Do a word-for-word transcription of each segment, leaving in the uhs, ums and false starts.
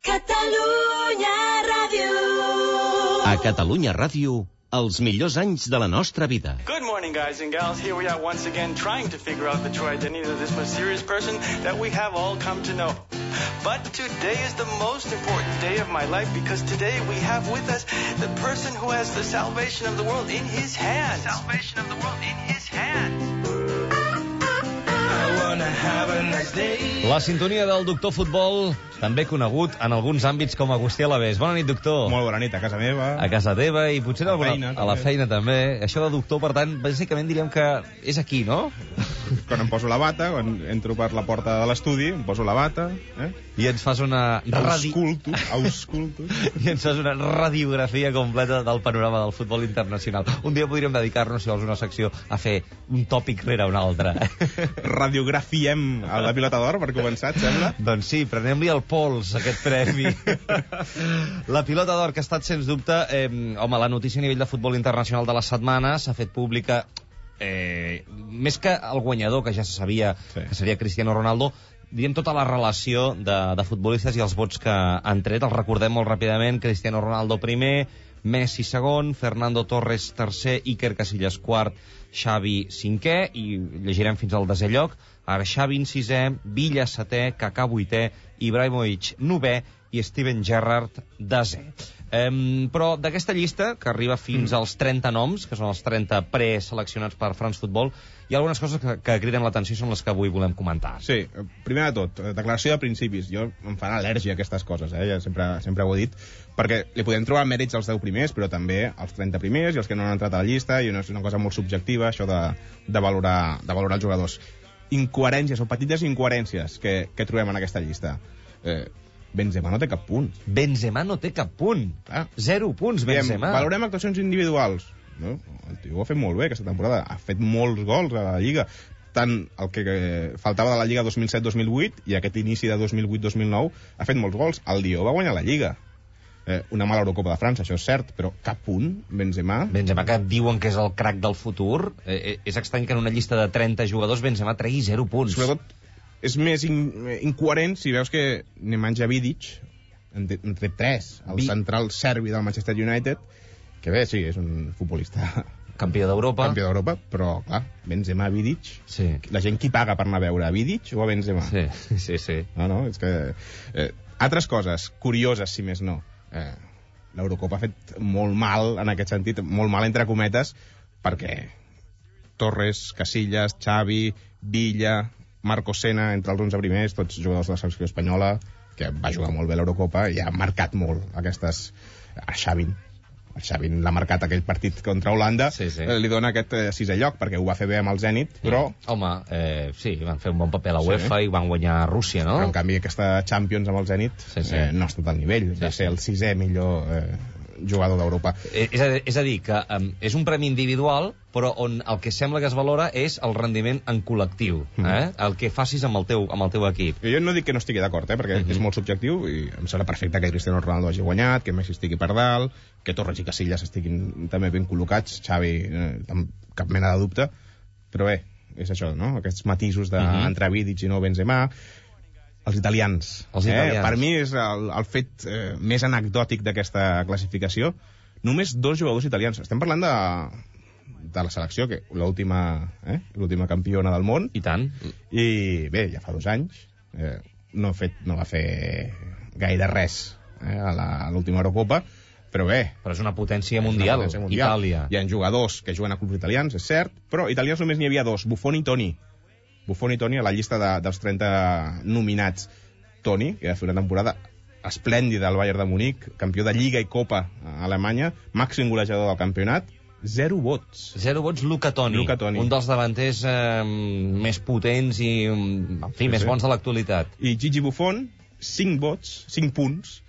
Catalunya Ràdio. A Catalunya Ràdio, els millors anys de la nostra vida. Good morning, guys and gals. Here we are once again trying to figure out the true identity of this mysterious person that we have all come to know. But today is the most important day of my life because today we have with us the person who has the salvation of the world in his hands. Salvation of the world in his hands. La sintonia del doctor Futbol, també conegut en alguns àmbits com Agustí Alavés. Bona nit, doctor. Molt bona nit, a casa meva. A casa teva i potser a, alguna, feina, a la feina també. Això de doctor, per tant, bàsicament diríem que és aquí, no? Quan em poso la bata, quan entro per la porta de l'estudi, em poso la bata, eh? I ens fas una... Radi... Ausculto, ausculto. I ens fas una radiografia completa del panorama del futbol internacional. Un dia podríem dedicar-nos, si vols, una secció a fer un tòpic rere un altre. Radiografiem a la pilota d'or, per començar, et sembla? Doncs sí, prenem-li el pols, aquest premi. La pilota d'or, que ha estat, sens dubte, eh, home, la notícia a nivell de futbol internacional de la setmana, s'ha fet pública, eh, més que el guanyador, que ja se sabia sí. que seria Cristiano Ronaldo, diem tota la relació de, de futbolistes i els vots que han tret. Els recordem molt ràpidament: Cristiano Ronaldo primer, Messi segon, Fernando Torres tercer, Iker Casillas quart, Xavi cinquè, i llegirem fins al desè lloc. Ara Xavi en sisè, Villa setè, Kaká vuitè, Ibrahimovic novè i Steven Gerrard desè. Um, però d'aquesta llista, que arriba fins mm. als trenta noms, que són els trenta preseleccionats per France Football, hi ha algunes coses que, que criden l'atenció i són les que avui volem comentar. Sí, primer de tot, declaració de principis. Jo em fan al·lèrgia a aquestes coses, eh? Ja sempre, sempre ho he dit, perquè li podem trobar mèrits als deu primers, però també als trenta primers i els que no han entrat a la llista, i és una cosa molt subjectiva, això de, de, valorar, de valorar els jugadors. Incoherències o petites incoherències que, que trobem en aquesta llista. Eh, Benzema no té cap punt. Benzema no té cap punt. Ah. Zero punts, Benzema. Diem, valorem actuacions individuals. No? El tio ho ha fet molt bé aquesta temporada. Ha fet molts gols a la Lliga. Tant el que faltava de la Lliga dos mil set dos mil vuit i aquest inici de dos mil vuit dos mil nou ha fet molts gols. El Lió va guanyar la Lliga. Eh, una mala Eurocopa de França, això és cert, però cap punt, Benzema. Benzema, que diuen que és el crac del futur. Eh, és estrany que en una llista de trenta jugadors Benzema tregui zero punts. Sobretot és més in, incoherent si veus que Nemanja Vidic en té, en té tres, el Vi... central serbi del Manchester United, que bé, sí, és un futbolista campió d'Europa, campió d'Europa, però clar, Benzema, Vidic, sí. La gent qui paga per anar a veure a Vidic o a Benzema? Sí, sí, sí. No, no, és que eh, altres coses curioses, si més no. Eh, L'Eurocopa ha fet molt mal en aquest sentit, molt mal entre cometes, perquè Torres, Casillas, Xavi, Villa, Marco Sena, entre els onze primers, tots jugadors de la selecció espanyola, que va jugar molt bé a l'Eurocopa i ha marcat molt aquestes... A Xavi, el Xavi l'ha marcat aquell partit contra Holanda, sí, sí. Eh, li dona aquest eh, sisè lloc, perquè ho va fer bé amb el Zenit, però... Home, eh, sí, van fer un bon paper a la UEFA sí. i van guanyar a Rússia, no? Però, en canvi, aquesta Champions amb el Zenit sí, sí. Eh, no ha estat al nivell, sí, va ser el sisè millor eh, jugador d'Europa. Eh, és, a, és a dir, que um, és un premi individual, però on el que sembla que es valora és el rendiment en col·lectiu, eh? Mm. El que facis amb el teu, amb el teu equip. Jo no dic que no estigui d'acord, eh? perquè mm -hmm. és molt subjectiu i em sembla perfecte que Cristiano Ronaldo hagi guanyat, que Messi estigui per dalt, que Torres i Casillas estiguin també ben col·locats, Xavi, eh, amb cap mena de dubte, però bé, és això, no? Aquests matisos de, mm -hmm. entre Vidic i no Benzema. Els italians. Els italians. Eh? Per mi és el, el fet eh, més anecdòtic d'aquesta classificació. Només dos jugadors italians. Estem parlant de... de la selecció, que l'última eh? l'última campiona del món. I tant. I bé, ja fa dos anys eh, no, fet, no va fer gaire res eh, a l'última Eurocopa, però bé. Però és una potència mundial, una potència mundial. Itàlia. Hi ha jugadors que juguen a clubs italians, és cert, però italians només n'hi havia dos, Buffon i Toni. Buffon i Toni a la llista de, dels trenta nominats. Toni, que va fer una temporada esplèndida al Bayern de Munic, campió de Lliga i Copa a Alemanya, màxim golejador del campionat. Zero vots. Zero vots, Luca Toni. Luca Toni. Un dels davanters eh, més potents i, en fi, sí, més sí. bons de l'actualitat. I Gigi Buffon, cinc vots, cinc punts,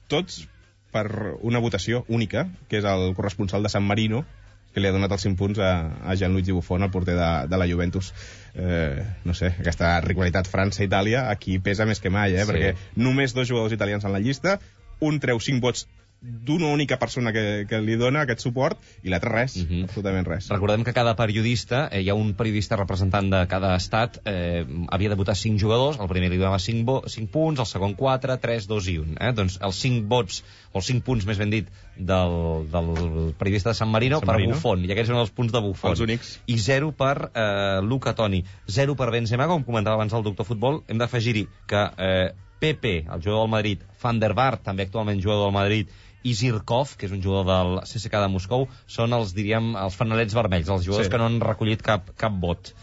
tots per una votació única, que és el corresponsal de San Marino, que li ha donat els cinc punts a, a Gianluigi Buffon, el porter de, de la Juventus. Eh, no sé, aquesta rivalitat França-Itàlia aquí pesa més que mai, eh? Sí. Perquè només dos jugadors italians en la llista, un treu cinc vots d'una única persona que, que li dona aquest suport i l'altre res, uh -huh. absolutament res. Recordem que cada periodista, eh, hi ha un periodista representant de cada estat, eh, havia de votar cinc jugadors, el primer li donava cinc punts, el segon quatre, tres, dos i un. Eh? Doncs els cinc vots, o els cinc punts més ben dit, del, del periodista de San Marino, San per Marino. Buffon, i aquests són els punts de Buffon. Els únics. I zero per eh, Luca Toni, zero per Benzema, com comentava abans el doctor Futbol. Hem d'afegir-hi que eh, Pepe, el jugador del Madrid, Van der Vaart, també actualment jugador del Madrid, i Zirkov, que és un jugador del C S K A de Moscou, són els, diríem, els fanalets vermells, els jugadors sí. que no han recollit cap, cap vot.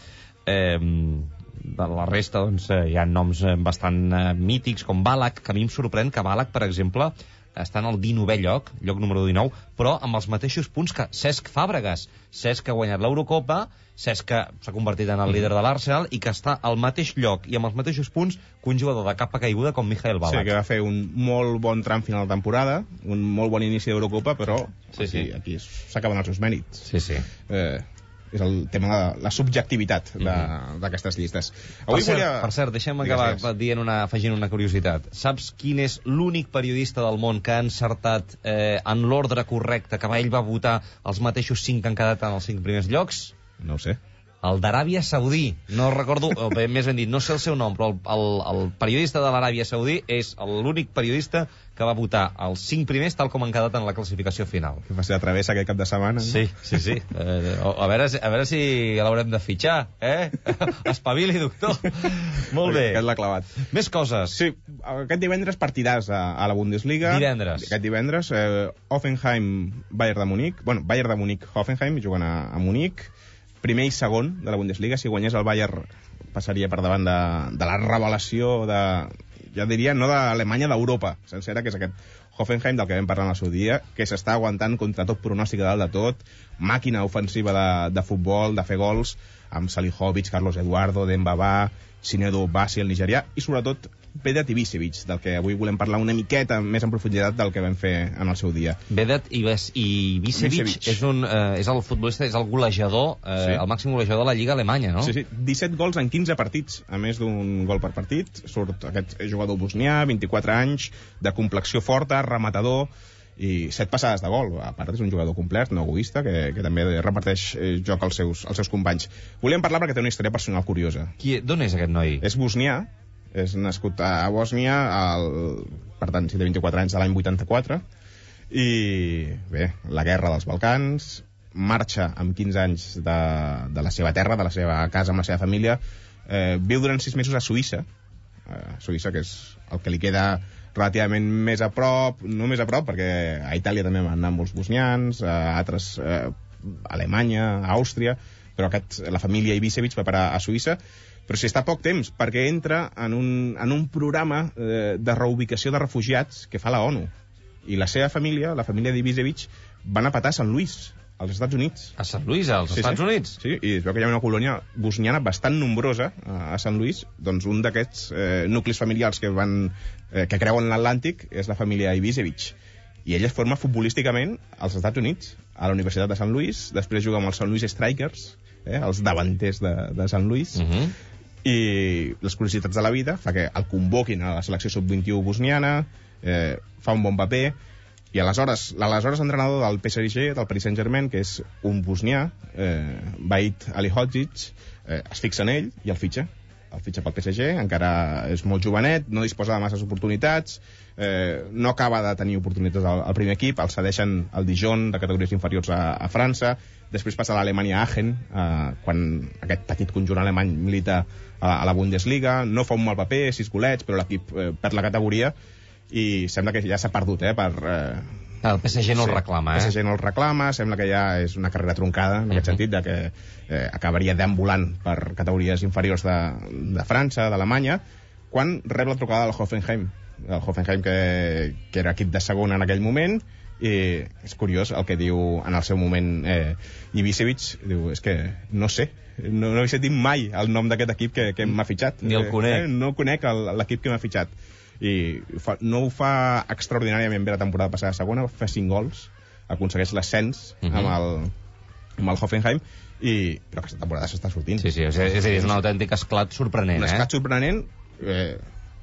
Eh, de la resta, doncs, eh, hi ha noms bastant eh, mítics, com Ballack, que a mi em sorprèn que Ballack, per exemple, està en el dinovè lloc, lloc número dinou, però amb els mateixos punts que Cesc Fàbregas. Cesc que ha guanyat l'Eurocopa, Cesc que s'ha convertit en el líder de l'Arsenal i que està al mateix lloc i amb els mateixos punts que un jugador de capa caiguda com Michael Ballack. Sí, que va fer un molt bon tram final de temporada, un molt bon inici d'Eurocopa, però sí, aquí, sí. aquí s'acaben els seus mèrits. Sí, sí. Eh, és el tema de la, la subjectivitat d'aquestes mm-hmm. llistes. Avui per, cert, volia... per cert, deixem acabar digues. dient una, afegint una curiositat. Saps quin és l'únic periodista del món que ha encertat eh, en l'ordre correcte, que ell va votar els mateixos cinc que han quedat en els cinc primers llocs? No ho sé. El d'Aràbia Saudí. No recordo, o bé, més ben dit, no sé el seu nom, però el, el, el periodista de l'Aràbia Saudí és l'únic periodista que va votar els cinc primers tal com han quedat en la classificació final. Que va ser la travessa aquest cap de setmana. Sí, sí, sí. Eh, a, veure, a veure si l'haurem de fitxar, eh? Espavili, doctor. Molt bé. Aquest l'ha clavat. Més coses. Sí, aquest divendres partidàs a, a la Bundesliga. Divendres. Aquest divendres, eh, Hoffenheim, Bayern de Múnich. Bueno, Bayern de Múnich, Hoffenheim, juguen a, a Múnich. Primer i segon de la Bundesliga. Si guanyés el Bayern passaria per davant de, de la revelació de, ja diria, no d'Alemanya, d'Europa sencera, que és aquest Hoffenheim del que vam parlar en el seu dia, que s'està aguantant contra tot pronòstic de dalt de tot, màquina ofensiva de, de futbol, de fer gols, amb Salihovic, Carlos Eduardo, Dembaba, Sinedu Basi, el nigerià, i sobretot Vedat Ibisevic, del que avui volem parlar una miqueta més en profunditat del que vam fer en el seu dia. Vedat Ibisevic és, un, eh, és el futbolista, és el golejador, eh, sí. el màxim golejador de la Lliga Alemanya, no? Sí, sí, disset gols en quinze partits, a més d'un gol per partit. Surt aquest jugador bosnià, vint-i-quatre anys, de complexió forta, rematador, i set passades de gol. A part, és un jugador complet, no egoista, que, que també reparteix eh, joc als seus, als seus companys. Volíem parlar perquè té una història personal curiosa. Qui, d'on és aquest noi? És bosnià, és nascut a Bòsnia, el, per tant, si té vint-i-quatre anys, de l'any vuitanta-quatre, i bé, la guerra dels Balcans, marxa amb quinze anys de, de la seva terra, de la seva casa amb la seva família, eh, viu durant sis mesos a Suïssa, eh, Suïssa, que és el que li queda relativament més a prop, no més a prop, perquè a Itàlia també van anar molts bosnians, a altres, eh, a Alemanya, a Àustria, però aquest, la família Ibisevic va parar a Suïssa, però si està poc temps, perquè entra en un, en un programa eh, de reubicació de refugiats que fa la ONU. I la seva família, la família d'Ibisevic, van a patar a Sant Louis, als Estats Units. A Sant Louis, als sí, Estats sí. Units? Sí, i es veu que hi ha una colònia bosniana bastant nombrosa a, a Sant Louis. Doncs un d'aquests eh, nuclis familiars que van eh, que creuen l'Atlàntic és la família Ibisevic. I ell es forma futbolísticament als Estats Units, a la Universitat de Sant Louis, després juga amb els Sant Louis Strikers, eh, els davanters de, de Sant Louis, uh -huh. i les curiositats de la vida fa que el convoquin a la selecció sub vint-i-u bosniana, eh, fa un bon paper, i aleshores l'aleshores entrenador del P S G, del Paris Saint-Germain, que és un bosnià, eh, Vahid Alihodzic, eh, es fixa en ell i el fitxa el fitxa pel P S G, encara és molt jovenet, no disposa de masses oportunitats, eh, no acaba de tenir oportunitats al, al primer equip, el cedeixen al Dijon de categories inferiors a, a França, després passa a l'Alemanya Aachen, eh, quan aquest petit conjunt alemany milita a, a la Bundesliga, no fa un mal paper, sis golets, però l'equip eh, perd la categoria i sembla que ja s'ha perdut, eh, per... Eh, el P S G no sí, el reclama, eh? El P S G no el reclama, sembla que ja és una carrera truncada, en uh -huh. aquest sentit, de que eh, acabaria deambulant per categories inferiors de, de França, d'Alemanya, quan rep la trucada del Hoffenheim, el Hoffenheim que, que era equip de segona en aquell moment, i és curiós el que diu en el seu moment eh, Ibisevic, diu, és que no sé, no, no he sentit mai el nom d'aquest equip que, que m'ha fitxat. Ni el conec. Eh, no conec l'equip que m'ha fitxat. I fa, no ho fa extraordinàriament bé la temporada passada a segona, fa cinc gols, aconsegueix l'ascens uh -huh. amb, el, amb el Hoffenheim, i, però aquesta temporada s'està sortint. Sí, sí, és, és, és un autèntic esclat sorprenent. Un eh? esclat sorprenent, eh,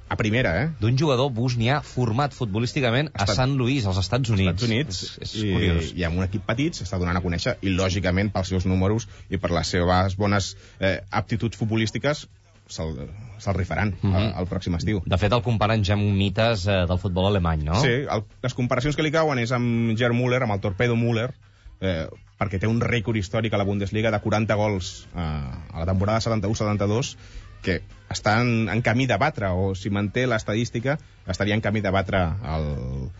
a primera, eh? D'un jugador bosnià format futbolísticament a Estat... Sant Louis, als Estats Units. Estats Units, és, és i, curiós. i amb un equip petit s'està donant a conèixer, i lògicament pels seus números i per les seves bones eh, aptituds futbolístiques se'l se rifaran mm -hmm. al, al pròxim estiu. De fet, el comparen ja amb mites eh, del futbol alemany, no? Sí, el, les comparacions que li cauen és amb Gerd Müller, amb el Torpedo Müller, eh, perquè té un rècord històric a la Bundesliga de quaranta gols eh, a la temporada setanta-u setanta-dos, que està en, en camí de batre, o si manté l'estadística, estaria en camí de batre el,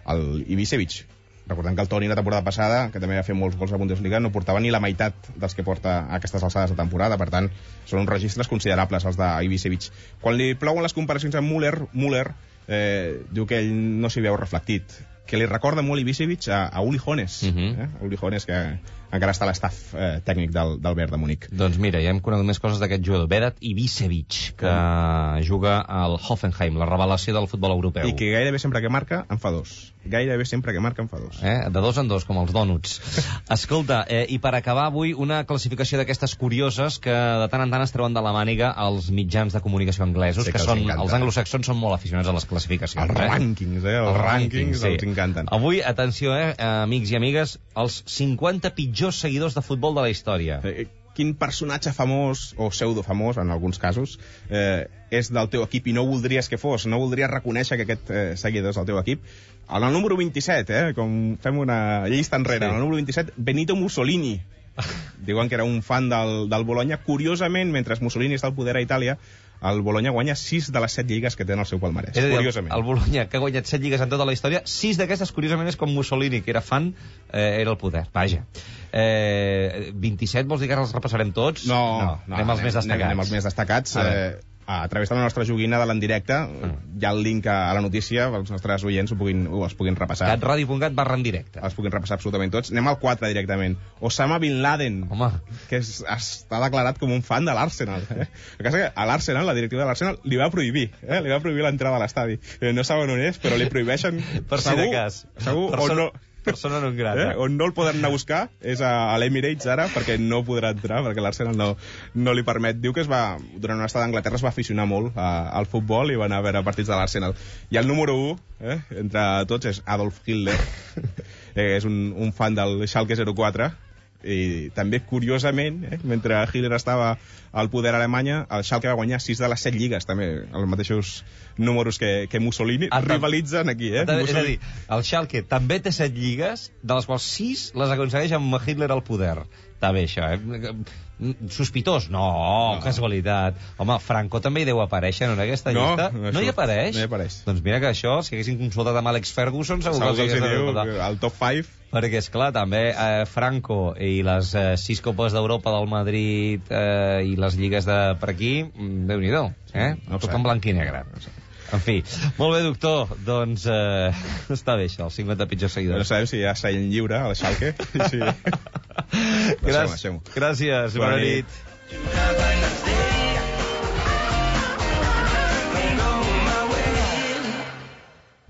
el Ibišević. Recordem que el Toni la temporada passada, que també va fer molts gols a la Bundesliga, no portava ni la meitat dels que porta a aquestes alçades de temporada. Per tant, són uns registres considerables els d'Ibišević. Quan li plouen les comparacions amb Müller, Müller eh, diu que ell no s'hi veu reflectit, que li recorda molt Ibišević a, a Uli Hones, uh -huh. eh? Uli Hones, que encara està a l'estaf eh, tècnic del, del Bayern de Múnich. Doncs mira, ja hem conegut més coses d'aquest jugador, Vedat Ibišević, que uh. juga al Hoffenheim, la revelació del futbol europeu. I que gairebé sempre que marca en fa dos. Gairebé sempre que marca en fa dos. Eh? De dos en dos, com els dònuts. Escolta, eh, i per acabar avui, una classificació d'aquestes curioses que de tant en tant es treuen de la màniga als mitjans de comunicació anglesos, sí, que, que són, els, els anglosaxons són molt aficionats a les classificacions. Els eh? rànquings, eh? Els, els rànquings sí. els encanten. Avui, atenció, eh, amics i amigues, els cinquanta pitjors seguidors de futbol de la història. Eh, quin personatge famós, o pseudofamós en alguns casos, eh, és del teu equip i no voldries que fos, no voldries reconèixer que aquest eh, seguidor és del teu equip? En el número vint-i-set, eh, com fem una llista enrere, sí. En el número vint-i-set, Benito Mussolini. Diuen que era un fan del, del Bologna. Curiosament, mentre Mussolini està al poder a Itàlia, el Bologna guanya sis de les set lligues que té en el seu palmarès. És a dir, curiosament. El Bologna, que ha guanyat set lligues en tota la història, sis d'aquestes, curiosament, és com Mussolini, que era fan, eh, era el poder. Vaja. Eh, vint-i-set, vols dir que ara els repassarem tots? No, no, no anem als més destacats. Anem als més destacats. A, eh, a través de la nostra joguina de l'endirecte, mm. hi ha el link a, a la notícia, els nostres oients ho puguin, ho els puguin repassar. catradio punt cat barra en directe. Els puguin repassar absolutament tots. Anem al quatre directament. Osama Bin Laden, Home. que és, està declarat com un fan de l'Arsenal. Eh? El cas és que a l'Arsenal, la directiva de l'Arsenal, li va prohibir, eh? li va prohibir l'entrada a l'estadi. Eh, no saben on és, però li prohibeixen... Per si de cas. Segur, Persona, o no... persona non grata. Eh? On no el poden anar a buscar és a, a l'Emirates ara, perquè no podrà entrar, perquè l'Arsenal no, no li permet. Diu que es va, durant una estada a Anglaterra es va aficionar molt a, al futbol i va anar a veure partits de l'Arsenal. I el número u, eh, entre tots, és Adolf Hitler. eh, és un, un fan del Schalke zero quatre, i també, curiosament, eh, mentre Hitler estava al poder a Alemanya, el Schalke va guanyar sis de les set lligues, també, els mateixos números que, que Mussolini. Ah, rivalitzen aquí, eh? Mussolini. És a dir, el Schalke també té set lligues, de les quals sis les aconsegueix amb Hitler al poder. Està bé, això, eh? Sospitós? No, no, casualitat. Home, Franco també hi deu aparèixer en aquesta no, llista. No, no hi apareix? No hi apareix. Doncs mira que això, si haguessin consultat amb Alex Ferguson, segur, segur que els diu recordar. el top cinc. Perquè, esclar, també eh, Franco i les eh, sis copes d'Europa del Madrid eh, i les lligues de per aquí, Déu-n'hi-do, eh? No tot en blanc i negre. No sé. En fi, molt bé, doctor. Doncs eh, està bé això, els cinquanta pitjors seguidors. No sabem si hi ha seient lliure a la Schalke. Sí. Gràcies, gràcies, bona nit.